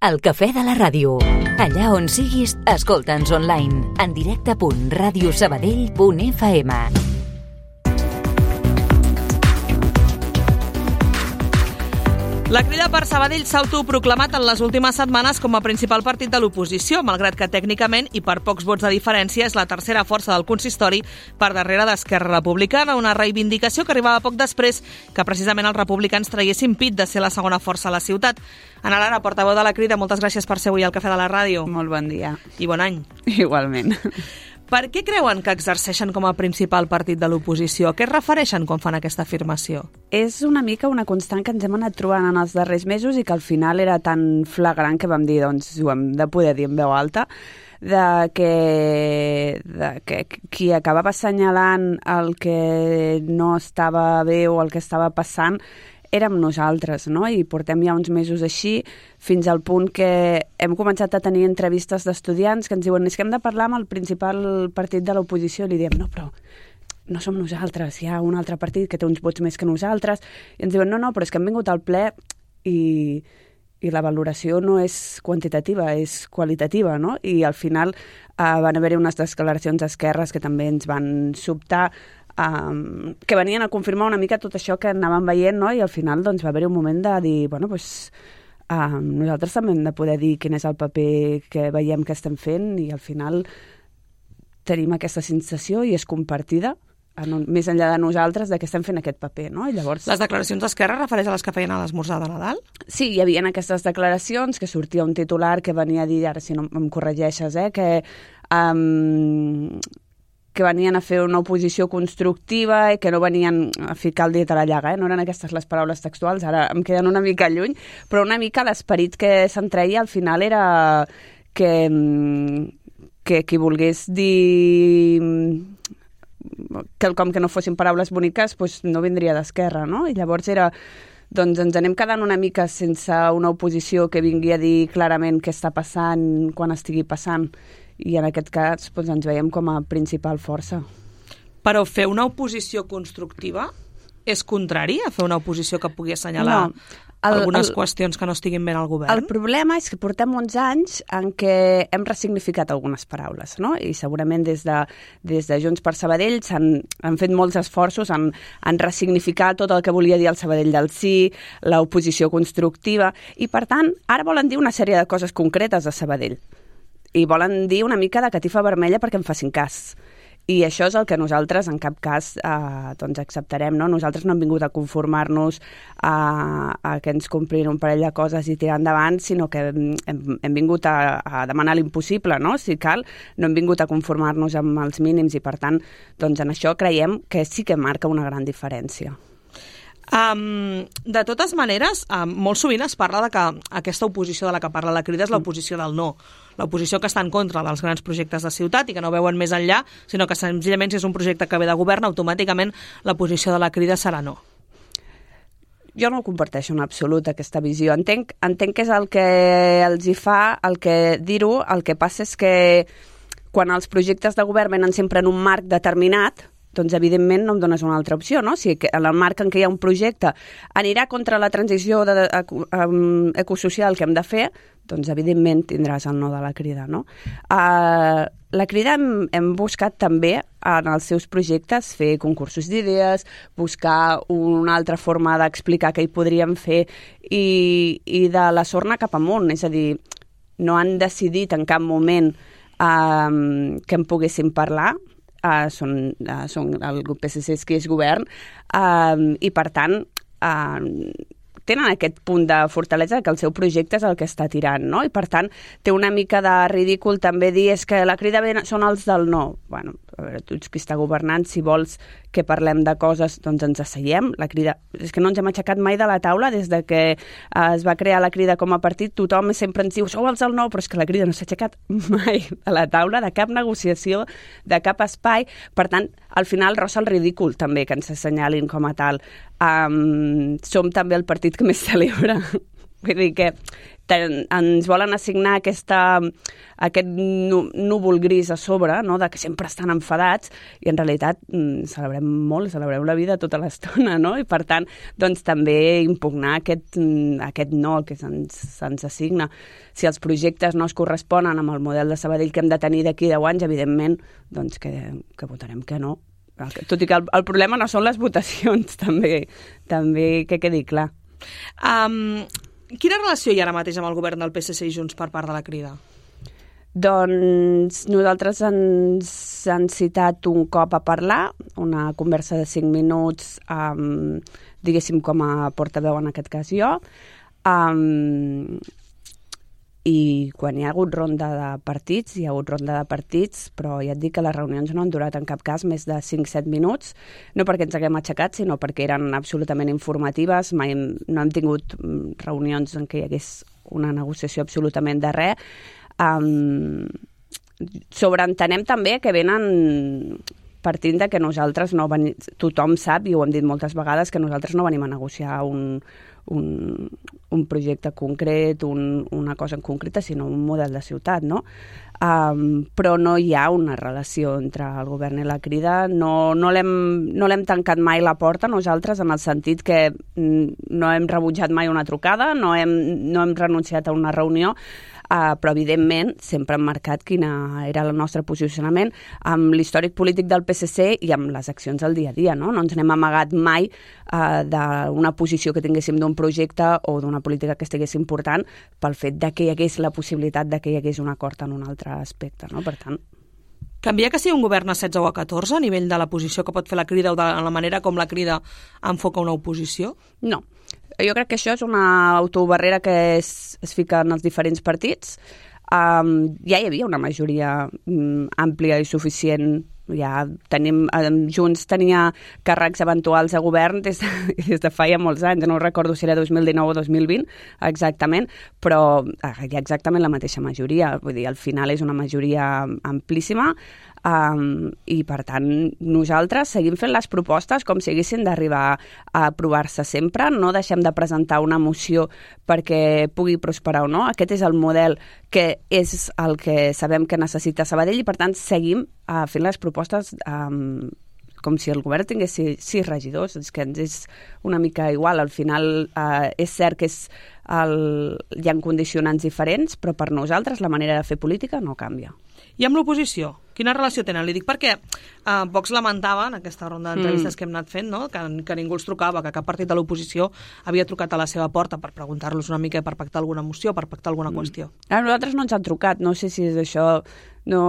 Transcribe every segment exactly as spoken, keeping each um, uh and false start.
El cafè de la ràdio. Allà on siguis, escolta'ns online. En directe punt ràdio sabadell punt f m. La Crida per Sabadell s'ha autoproclamat en les últimes setmanes com a principal partit de l'oposició, malgrat que tècnicament i per pocs vots de diferència és la tercera força del consistori per darrere d'Esquerra Republicana, una reivindicació que arribava poc després que precisament els republicans traguessin pit de ser la segona força a la ciutat. Ana Lara, portaveu de la Crida, moltes gràcies per ser avui al Cafè de la Ràdio. Molt bon dia. I bon any. Igualment. Per què creuen que exerceixen com a principal partit de l'oposició? A què es refereixen quan fan aquesta afirmació? És una mica una constant que ens hem anat trobant en els darrers mesos i que al final era tan flagrant que vam dir, doncs, ho hem de poder dir en veu alta, de que, de que qui acabava assenyalant el que no estava bé o el que estava passant érem nosaltres, no? I portem ja uns mesos així, fins al punt que hem començat a tenir entrevistes d'estudiants que ens diuen és que hem de parlar amb el principal partit de l'oposició, i li diem, no, però no som nosaltres, hi ha un altre partit que té uns vots més que nosaltres, i ens diuen, no, no, però és que hem vingut al ple i, i la valoració no és quantitativa, és qualitativa, no? I al final eh, van haver-hi unes declaracions d'esquerres que també ens van sobtar, Um, que venien a confirmar una mica tot això que anàvem veient, no? I al final doncs, va haver-hi un moment de dir, bueno, doncs, um, nosaltres també hem de poder dir quin és el paper que veiem que estem fent, i al final tenim aquesta sensació i és compartida, en, més enllà de nosaltres, de que estem fent aquest paper, no? I llavors... Les declaracions d'Esquerra refereix a les que feien a l'esmorzar de Nadal? Sí, hi havia aquestes declaracions que sortia un titular que venia a dir, ara si no em corregeixes, eh, que... Um, que venien a fer una oposició constructiva i que no venien a ficar el dit a la llaga, eh? No eren aquestes les paraules textuals, ara em queden una mica lluny, però una mica l'esperit que se'n treia al final era que, que qui volgués dir quelcom que no fossin paraules boniques doncs no vindria d'Esquerra, no? I llavors era, doncs ens anem quedant una mica sense una oposició que vingui a dir clarament què està passant quan estigui passant, i en aquest cas doncs, ens veiem com a principal força. Però fer una oposició constructiva és contrari a fer una oposició que pugui assenyalar no, el, algunes el, qüestions que no estiguin bé al govern? El problema és que portem uns anys en què hem ressignificat algunes paraules, no? I segurament des de, des de Junts per Sabadell s'han han fet molts esforços en, en ressignificar tot el que volia dir el Sabadell del sí, l'oposició constructiva, i per tant ara volen dir una sèrie de coses concretes a Sabadell. I volen dir una mica de catifa vermella perquè en facin cas. I això és el que nosaltres en cap cas eh, doncs acceptarem, no? Nosaltres no hem vingut a conformar-nos a, a que ens comprin un parell de coses i tirar endavant, sinó que hem, hem vingut a, a demanar l'impossible, no? Si cal, no hem vingut a conformar-nos amb els mínims, i per tant, doncs en això creiem que sí que marca una gran diferència. Um, de totes maneres, um, molt sovint es parla de que aquesta oposició de la que parla la Crida és l'oposició del no, l'oposició que està en contra dels grans projectes de ciutat i que no veuen més enllà, sinó que senzillament si és un projecte que ve de govern, automàticament la posició de la Crida serà no. Jo no comparteixo en absolut aquesta visió. Entenc, entenc que és el que els hi fa, el que dir-ho, el que passa és que quan els projectes de govern venen sempre en un marc determinat, doncs evidentment no em dones una altra opció, no? Si en el marc en què hi ha un projecte anirà contra la transició de, de, um, ecosocial que hem de fer, doncs evidentment tindràs el no de la Crida, no? Uh, la Crida hem, hem buscat també en els seus projectes fer concursos d'idees, buscar una altra forma d'explicar què hi podríem fer, i, i de la sorna cap amunt, és a dir, no han decidit en cap moment um, que en poguéssim parlar. Uh, són, uh, són el grup P S C qui és govern, uh, i per tant uh, tenen aquest punt de fortalesa que el seu projecte és el que està tirant, no? I per tant té una mica de ridícul també dir és que la Crida són els del no. Bueno, a veure, tu ets qui està governant, si vols que parlem de coses, doncs ens asseiem. La Crida, és que no ens hem aixecat mai de la taula des de que eh, es va crear la Crida com a partit, tothom sempre ens diu sou els del no, però és que la Crida no s'ha aixecat mai de la taula, de cap negociació, de cap espai. Per tant, al final rossa el ridícul també que ens assenyalin com a tal. Um, som també el partit que més celebra Vull dir que ten, ens volen assignar aquesta, aquest núvol gris a sobre, no? De que sempre estan enfadats, i en realitat mm, celebrem molt, celebrem la vida tota l'estona, no? I per tant, doncs també impugnar aquest, aquest no que se'ns, se'ns assigna. Si els projectes no es corresponen amb el model de Sabadell que hem de tenir d'aquí deu anys, evidentment, doncs que, que votarem que no. Tot i que el, el problema no són les votacions, també, també que quedi clar. Um, quina relació hi ha ara mateix amb el govern del P S C i Junts per part de la Crida? Doncs nosaltres ens han citat un cop a parlar, una conversa de cinc minuts, um, diguéssim com a portaveu en aquest cas jo, um, i quan hi ha hagut ronda de partits, hi ha hagut ronda de partits, però ja et dic que les reunions no han durat en cap cas més de cinc set minuts, no perquè ens haguem aixecat, sinó perquè eren absolutament informatives, mai hem, no hem tingut reunions en què hi hagués una negociació absolutament de res. Um, sobreentenem també que venen partint de que nosaltres no venim, tothom sap, i ho hem dit moltes vegades, que nosaltres no venim a negociar un, un, un projecte concret, un, una cosa en concreta, sinó un model de ciutat, no? Um, però no hi ha una relació entre el govern i la Crida, no, no l'hem no l'hem tancat mai la porta nosaltres, en el sentit que no hem rebutjat mai una trucada, no hem, no hem renunciat a una reunió, Uh, però evidentment sempre hem marcat quina era el nostre posicionament amb l'històric polític del P S C i amb les accions del dia a dia, no? No ens n'hem amagat mai uh, d'una posició que tinguéssim d'un projecte o d'una política que estigués important pel fet de que hi hagués la possibilitat de que hi hagués un acord en un altre aspecte, no? Per tant... Canvia que sigui un govern a setze o a catorze a nivell de la posició que pot fer la Crida o de la manera com la Crida enfoca una oposició? No. Jo crec que això és una autobarrera que es, es fica en els diferents partits. Um, ja hi havia una majoria um, àmplia i suficient. Ja tenim, um, Junts tenia càrrecs eventuals a govern des de, des de fa ja molts anys. No recordo si era dos mil dinou o dos mil vint exactament, però uh, hi ha exactament la mateixa majoria. Vull dir, al final és una majoria amplíssima. Um, i per tant nosaltres seguim fent les propostes com si haguessin d'arribar a aprovar-se sempre, no deixem de presentar una moció perquè pugui prosperar o no. Aquest és el model que és el que sabem que necessita Sabadell i per tant seguim uh, fent les propostes um, com si el govern tingués sis regidors, és que ens és una mica igual. Al final uh, és cert que és el... hi ha condicionants diferents, però per nosaltres la manera de fer política no canvia. I amb l'oposició? Quina relació tenen? Li dic perquè eh, Vox lamentava en aquesta ronda d'entrevistes mm. que hem anat fent, no? que, que ningú els trucava, que cap partit de l'oposició havia trucat a la seva porta per preguntar-los una mica per pactar alguna moció, per pactar alguna mm. qüestió. A nosaltres no ens han trucat, no sé si és això... No,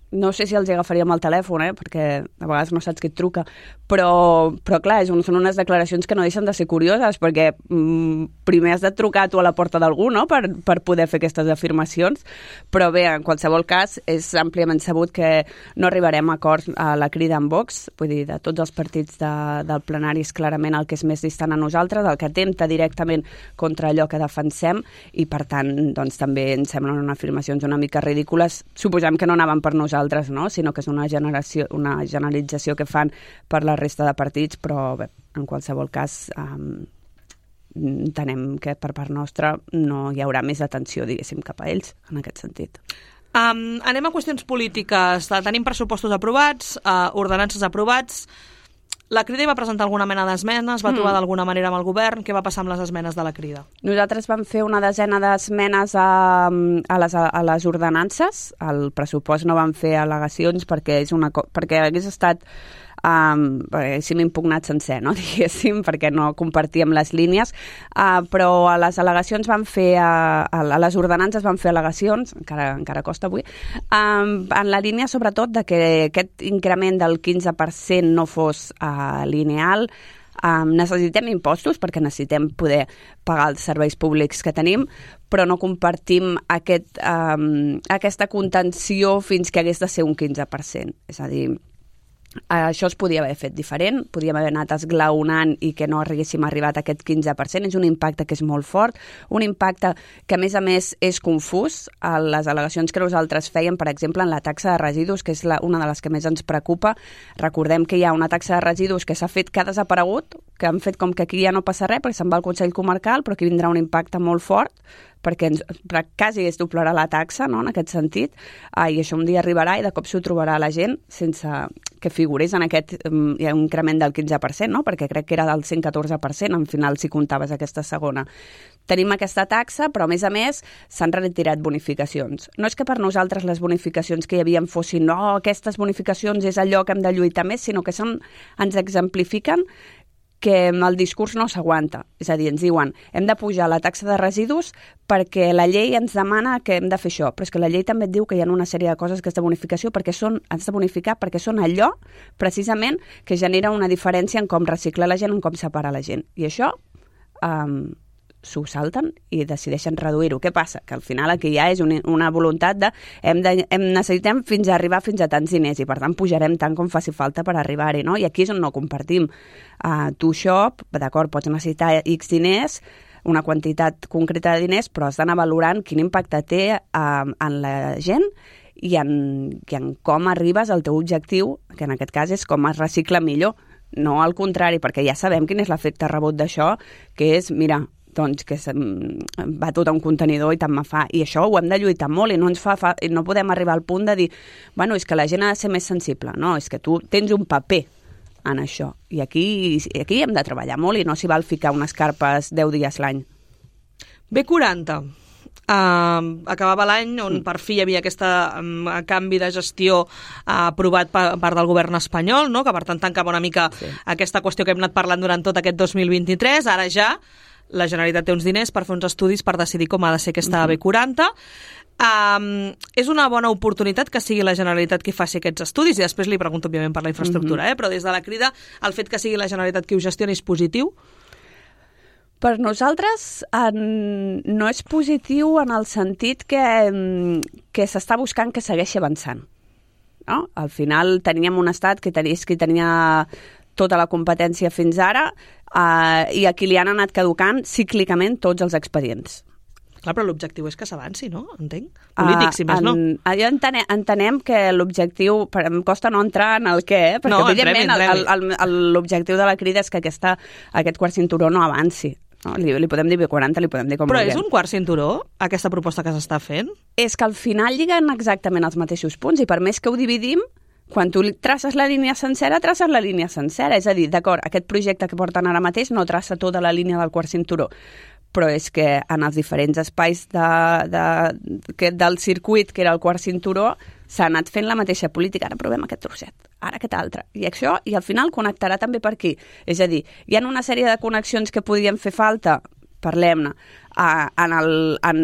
no sé si els agafaríem el telèfon, eh? Perquè a vegades no saps qui et truca, però, però clar, és un, són unes declaracions que no deixen de ser curioses, perquè mm, primer has de trucar tu a la porta d'algú, no?, per, per poder fer aquestes afirmacions, però bé, en qualsevol cas, és àmpliament sabut que no arribarem a acords a la Crida amb Vox, vull dir, de tots els partits de, del plenari és clarament el que és més distant a nosaltres, el que atempta directament contra allò que defensem, i per tant, doncs també ens semblen unes afirmacions una mica ridícules, suposem que no anaven per nosaltres, altres, no? Sinó que és una, generació, una generalització que fan per la resta de partits, però bé, en qualsevol cas um, entenem que per part nostra no hi haurà més atenció, diguéssim, cap a ells, en aquest sentit. Um, anem a qüestions polítiques. Tenim pressupostos aprovats, uh, ordenances aprovats. La Crida hi va presentar alguna mena d'esmenes, va trobar mm. d'alguna manera amb el govern. Què va passar amb les esmenes de la Crida? Nosaltres vam fer una desena d'esmenes a, a, les, a les ordenances. Al pressupost no vam fer al·legacions perquè, és una, perquè hagués estat... Um, haguéssim impugnat sencer, no? Diguéssim, perquè no compartíem les línies, uh, però a les al·legacions van fer, uh, a les ordenances van fer al·legacions, encara, encara costa avui, um, en la línia sobretot de que aquest increment del quinze per cent no fos uh, lineal. Um, necessitem impostos perquè necessitem poder pagar els serveis públics que tenim, però no compartim aquest, um, aquesta contenció fins que hagués de ser un quinze per cent. És a dir, això es podia haver fet diferent, podíem haver anat esglaonant i que no haguéssim arribat a aquest quinze per cent. És un impacte que és molt fort, un impacte que a més a més és confús. A les al·legacions que nosaltres fèiem, per exemple, en la taxa de residus, que és la, una de les que més ens preocupa, recordem que hi ha una taxa de residus que s'ha fet, que ha desaparegut, que han fet com que aquí ja no passa res perquè se'n va al Consell Comarcal, però aquí vindrà un impacte molt fort perquè ens, quasi es doblarà la taxa, no?, en aquest sentit, ah, i això un dia arribarà i de cop s'ho trobarà la gent sense que figurés en aquest um, hi ha un increment del quinze per cent, no?, perquè crec que era del cent catorze per cent, en final, si comptaves aquesta segona. Tenim aquesta taxa, però a més a més s'han retirat bonificacions. No és que per nosaltres les bonificacions que hi havia fossin no, aquestes bonificacions és allò que hem de lluitar més, sinó que són, ens exemplifiquen que el discurs no s'aguanta. És a dir, ens diuen hem de pujar la taxa de residus perquè la llei ens demana que hem de fer això, però és que la llei també et diu que hi ha una sèrie de coses que és de bonificació perquè són, has de bonificar perquè són allò precisament que genera una diferència en com reciclar la gent, en com separar la gent. I això um, s'ho salten i decideixen reduir-ho. Què passa? Que al final aquí ja és una, una voluntat de hem, de hem necessitem fins a arribar fins a tants diners i per tant pujarem tant com faci falta per arribar-hi, no? I aquí és on no compartim. Uh, tu això, d'acord, pots necessitar X diners, una quantitat concreta de diners, però has d'anar valorant quin impacte té uh, en la gent i en, i en com arribes al teu objectiu, que en aquest cas és com es recicla millor, no al contrari, perquè ja sabem quin és l'efecte rebot d'això, que és, mira, doncs que va tot a un contenidor i tant me fa. I això ho hem de lluitar molt i no ens fa, fa no podem arribar al punt de dir bueno, és que la gent ha de ser més sensible. No, és que tu tens un paper en això. I aquí, aquí hem de treballar molt i no s'hi val ficar unes carpes deu dies l'any. B quaranta. Uh, acabava l'any on per fi hi havia aquest um, canvi de gestió uh, aprovat per part del govern espanyol, no? Que per tant tancava una mica sí. aquesta qüestió que hem anat parlant durant tot aquest dos mil vint-i-tres. Ara ja la Generalitat té uns diners per fer uns estudis per decidir com ha de ser aquesta uh-huh. B quaranta. Um, és una bona oportunitat que sigui la Generalitat qui faci aquests estudis i després li pregunto, òbviament, per la infraestructura, uh-huh. eh? Però des de la Crida, el fet que sigui la Generalitat qui ho gestioni és positiu? Per nosaltres en, no és positiu en el sentit que, que s'està buscant que segueixi avançant. No? Al final teníem un estat que tenia, que tenia tota la competència fins ara eh, i a qui li han anat caducant cíclicament tots els expedients. Clar, però l'objectiu és que s'avanci, no? Entenc. Polític, uh, si més en, no. Jo entenem, entenem que l'objectiu, em costa no entrar en el què, eh? Perquè no, evidentment entrem, entrem. El, el, l'objectiu de la Crida és que aquesta, aquest quart cinturó no avanci. No? Li, li podem dir B quaranta, li podem dir com Però vulguem. És un quart cinturó, aquesta proposta que s'està fent? És que al final lliguen exactament els mateixos punts i per més que ho dividim, quan tu traces la línia sencera, traces la línia sencera. És a dir, d'acord, aquest projecte que porten ara mateix no traça tota la línia del quart cinturó, però és que en els diferents espais de, de, que, del circuit, que era el quart cinturó, s'ha anat fent la mateixa política. Ara provem aquest trosset, ara aquest altre. I això, i al final connectarà també per aquí. És a dir, hi ha una sèrie de connexions que podien fer falta, parlem-ne, uh, en, el, en,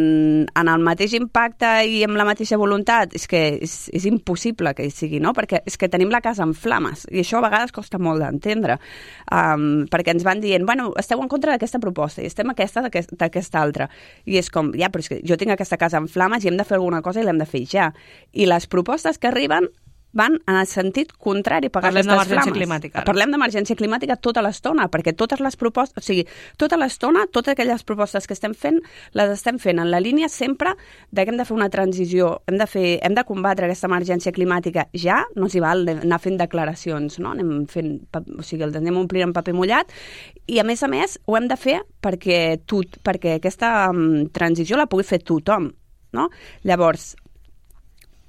en el mateix impacte i amb la mateixa voluntat. És que és, és impossible que hi sigui, no? Perquè és que tenim la casa en flames i això a vegades costa molt d'entendre, um, perquè ens van dient, bueno, esteu en contra d'aquesta proposta i estem aquesta d'aquest, d'aquesta altra. I és com, ja, però és que jo tinc aquesta casa en flames i hem de fer alguna cosa i l'hem de fer ja. I les propostes que arriben van en el sentit contrari a pagar Parlem aquestes flames. Parlem d'emergència climàtica. Ara. Parlem d'emergència climàtica tota l'estona, perquè totes les propostes, o sigui, tota l'estona, totes aquelles propostes que estem fent, les estem fent en la línia sempre de que hem de fer una transició, hem de, fer, hem de combatre aquesta emergència climàtica ja, no s'hi val anar fent declaracions, no? Anem fent, o sigui, els anem omplint en paper mullat, i a més a més ho hem de fer perquè, tot, perquè aquesta um, transició la pugui fer tothom, no? Llavors,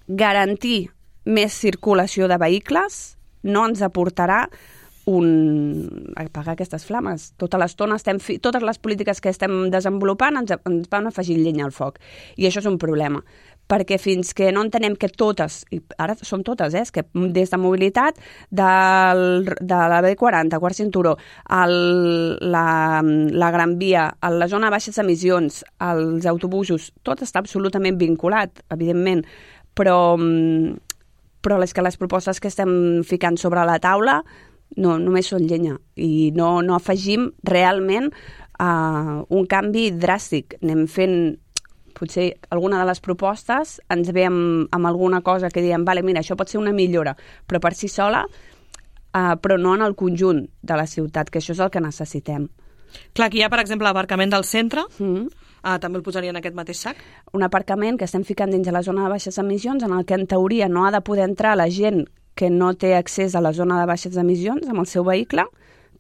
garantir més circulació de vehicles no ens aportarà un... apagar aquestes flames. Tota l'estona estem... Fi... Totes les polítiques que estem desenvolupant ens, ens van afegir llenya al foc. I això és un problema. Perquè fins que no entenem que totes, i ara som totes, eh, que des de mobilitat, del, de la B quaranta, quart cinturó, el, la, la Gran Via, la zona de baixes emissions, els autobusos, tot està absolutament vinculat, evidentment, però... però és que les propostes que estem ficant sobre la taula no, només són llenya i no, no afegim realment uh, un canvi dràstic. Anem fent, potser alguna de les propostes ens ve amb, amb alguna cosa que diem, vale, mira, això pot ser una millora, però per si sola, uh, però no en el conjunt de la ciutat, que això és el que necessitem. Clar, aquí hi ha, per exemple, l'aparcament del centre, Mm. Ah, també el posaria en aquest mateix sac? Un aparcament que estem ficant dins de la zona de baixes emissions, en el que en teoria no ha de poder entrar la gent que no té accés a la zona de baixes emissions amb el seu vehicle,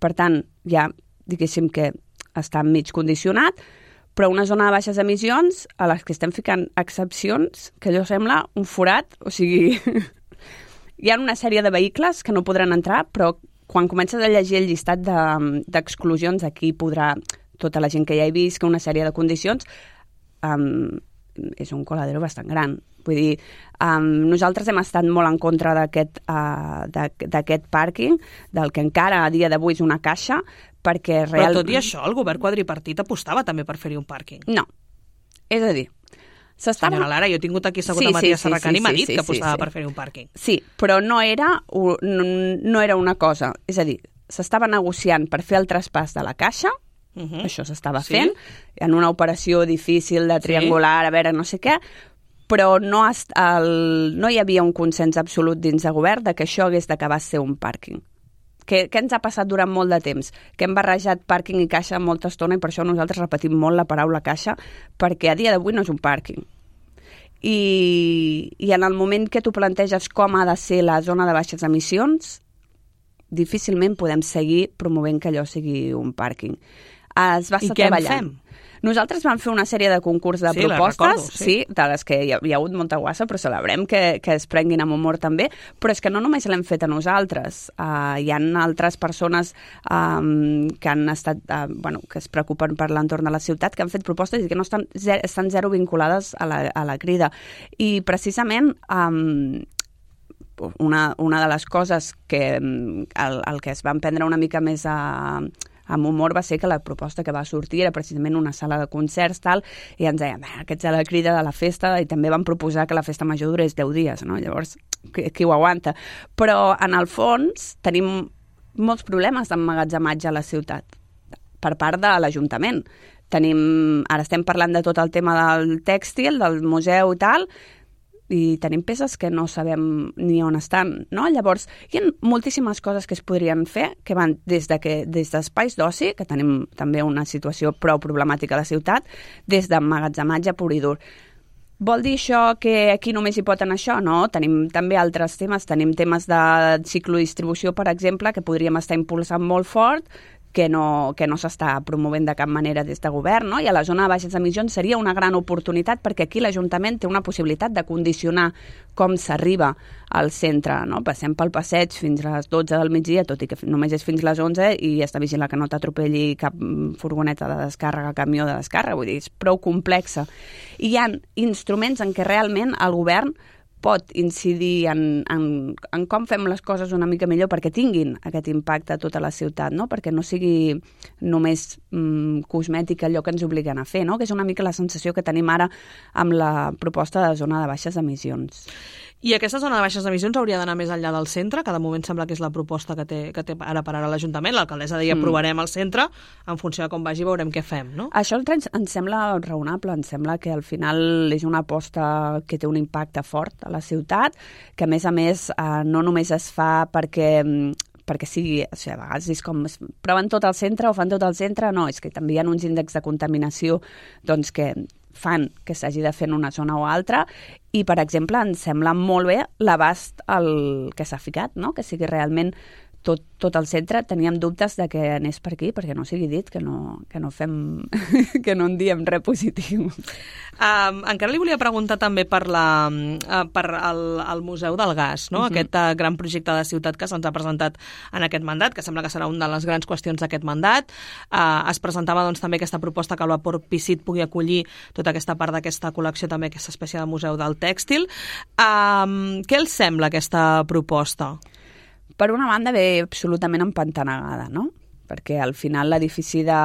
per tant, ja, diguéssim que està mig condicionat, però una zona de baixes emissions a les que estem ficant excepcions, que allò sembla un forat, o sigui, hi ha una sèrie de vehicles que no podran entrar, però quan comences a llegir el llistat d'exclusions, de, aquí podrà tota la gent que ja he vist, que una sèrie de condicions, um, és un coladero bastant gran. Vull dir, um, nosaltres hem estat molt en contra d'aquest uh, d'aquest pàrquing, del que encara a dia d'avui és una caixa, perquè real... Però tot i això, el govern quadripartit apostava també per fer-hi un pàrquing. No. És a dir, s'estava... Senyora Lara, jo he tingut aquí assegut sí, a Matías sí, Serracant sí, sí, i m'ha dit sí, sí, que apostava sí, sí. per fer-hi un pàrquing. Sí, però no era, no, no era una cosa. És a dir, s'estava negociant per fer el traspàs de la caixa, uh -huh. això s'estava sí. fent, en una operació difícil de triangular, sí. a veure, no sé què, però no, el, no hi havia un consens absolut dins de govern de que això hagués d'acabar ser un pàrquing. Què, què ens ha passat durant molt de temps? Que hem barrejat pàrquing i caixa molta estona i per això nosaltres repetim molt la paraula caixa, perquè a dia d'avui no és un pàrquing. I, I en el moment que tu planteges com ha de ser la zona de baixes emissions, difícilment podem seguir promovent que allò sigui un pàrquing. Es va estar I què treballant. en fem? Nosaltres vam fer una sèrie de concurs de sí, propostes, recordo, sí. sí, de les que hi ha, hi ha hagut molta guassa, però celebrem que, que es prenguin amb humor també, però és que no només l'hem fet a nosaltres, uh, hi ha altres persones um, que han estat, uh, bueno, que es preocupen per l'entorn de la ciutat, que han fet propostes i que no estan, zero, estan zero vinculades a la, a la crida. I precisament um, una, una de les coses que el, el que es van prendre una mica més a... amb humor va ser que la proposta que va sortir era precisament una sala de concerts, tal, i ens deien, aquesta és la crida de la festa, i també van proposar que la festa major durés deu dies, no? Llavors, qui, qui ho aguanta? Però, en el fons, tenim molts problemes d'emmagatzematge a la ciutat, per part de l'Ajuntament. Tenim, ara estem parlant de tot el tema del tèxtil, del museu i tal, i tenim peces que no sabem ni on estan, no? Llavors, hi ha moltíssimes coses que es podrien fer, que van des de que des d'espais d'oci, que tenim també una situació prou problemàtica a la ciutat, des d'emmagatzematge pur i dur. Vol dir això que aquí només hi pot anar això? No, tenim també altres temes. Tenim temes de ciclodistribució, per exemple, que podríem estar impulsant molt fort, que no, que no s'està promovent de cap manera des de govern, no? I a la zona de baixes emissions seria una gran oportunitat perquè aquí l'Ajuntament té una possibilitat de condicionar com s'arriba al centre, no? Passem pel passeig fins a les dotze del migdia, tot i que només és fins a les onze, i està vigilant que no t'atropelli cap furgoneta de descàrrega, camió de descàrrega, vull dir, és prou complexa. I hi ha instruments en què realment el govern pot incidir en, en, en com fem les coses una mica millor perquè tinguin aquest impacte a tota la ciutat, no? Perquè no sigui només mm, cosmètica allò que ens obliguen a fer, no? Que és una mica la sensació que tenim ara amb la proposta de zona de baixes emissions. I aquesta zona de baixes emissions hauria d'anar més enllà del centre, que de moment sembla que és la proposta que té, que té ara per ara l'Ajuntament. L'alcaldessa deia, mm. provarem el centre, en funció de com vagi veurem què fem, no? Això ens, ens sembla raonable, ens sembla que al final és una aposta que té un impacte fort a la ciutat, que a més a més eh, no només es fa perquè perquè sigui, o sigui, a vegades és com proven tot el centre o fan tot el centre, no, és que també hi ha uns índexs de contaminació doncs, que fan que s'hagi de fer en una zona o altra, i, per exemple, ens sembla molt bé l'abast el que s'ha ficat, no? Que sigui realment tot, tot el centre. Teníem dubtes de que anés per aquí, perquè no sigui dit que no, que no fem, que no en diem res positiu. Um, encara li volia preguntar també per, la, uh, per el, el Museu del Gas, no? Uh-huh. Aquest uh, gran projecte de ciutat que se'ns ha presentat en aquest mandat, que sembla que serà una de les grans qüestions d'aquest mandat. Uh, es presentava doncs, també aquesta proposta que el Vapor Picit pugui acollir tota aquesta part d'aquesta col·lecció, també aquesta espècie de museu del tèxtil. Um, què els sembla aquesta proposta? Per una banda ve absolutament empantanegada, no? Perquè al final l'edifici de,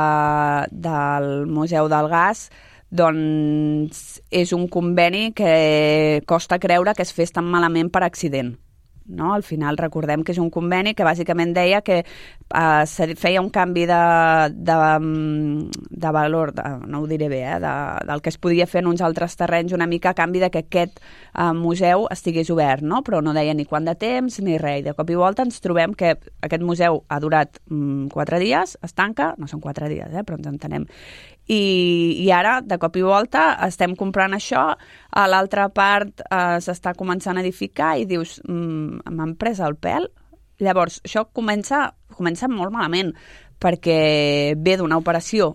del Museu del Gas doncs és un conveni que costa creure que es fes tan malament per accident. No? Al final recordem que és un conveni que bàsicament deia que eh, se feia un canvi de, de, de valor, de, no ho diré bé, eh, de, del que es podia fer en uns altres terrenys una mica a canvi de que aquest eh, museu estigués obert, no? Però no deia ni quant de temps ni res. I de cop i volta ens trobem que aquest museu ha durat mm, quatre dies, es tanca, no són quatre dies, eh, però ens entenem. I, i ara, de cop i volta, estem comprant això, a l'altra part eh, s'està començant a edificar i dius, mm, m'han pres el pèl, Llavors, això comença, comença molt malament, perquè ve d'una operació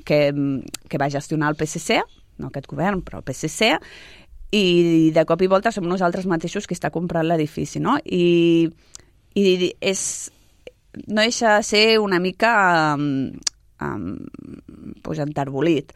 que, que va gestionar el P S C, no aquest govern, però el P S C, i de cop i volta som nosaltres mateixos qui està comprant l'edifici, no? I, i és, no deixa de ser una mica um, um, pues, enterbolit.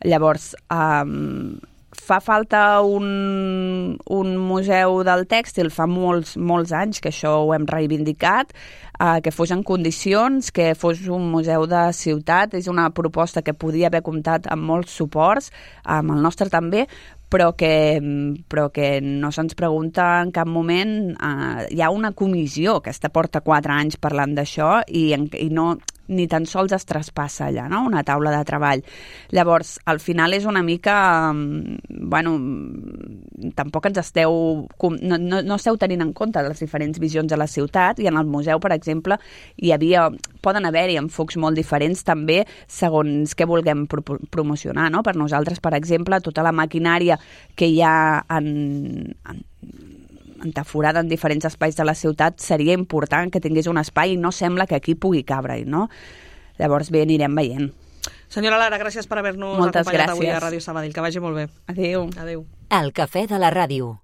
Llavors, um, fa falta un, un museu del tèxtil, fa molts, molts anys que això ho hem reivindicat, eh, que fos en condicions, que fos un museu de ciutat. És una proposta que podia haver comptat amb molts suports, amb el nostre també, però que, però que no se'ns pregunta en cap moment. Eh, hi ha una comissió que està porta quatre anys parlant d'això i, i no... ni tan sols es traspassa allà, no? Una taula de treball. Llavors, al final és una mica... Bueno, tampoc ens esteu... No, no, no esteu tenint en compte les diferents visions de la ciutat, i en el museu, per exemple, hi havia... Poden haver-hi enfocs molt diferents també segons què vulguem pro promocionar, no? Per nosaltres, per exemple, tota la maquinària que hi ha en... en entaforada en diferents espais de la ciutat, seria important que tingués un espai i no sembla que aquí pugui cabre-hi, no? Llavors bé, anirem veient. Senyora Lara, gràcies per haver-nos acompanyat avui a Ràdio Sabadell. Que vagi molt bé. Adéu. Adéu. El cafè de la ràdio.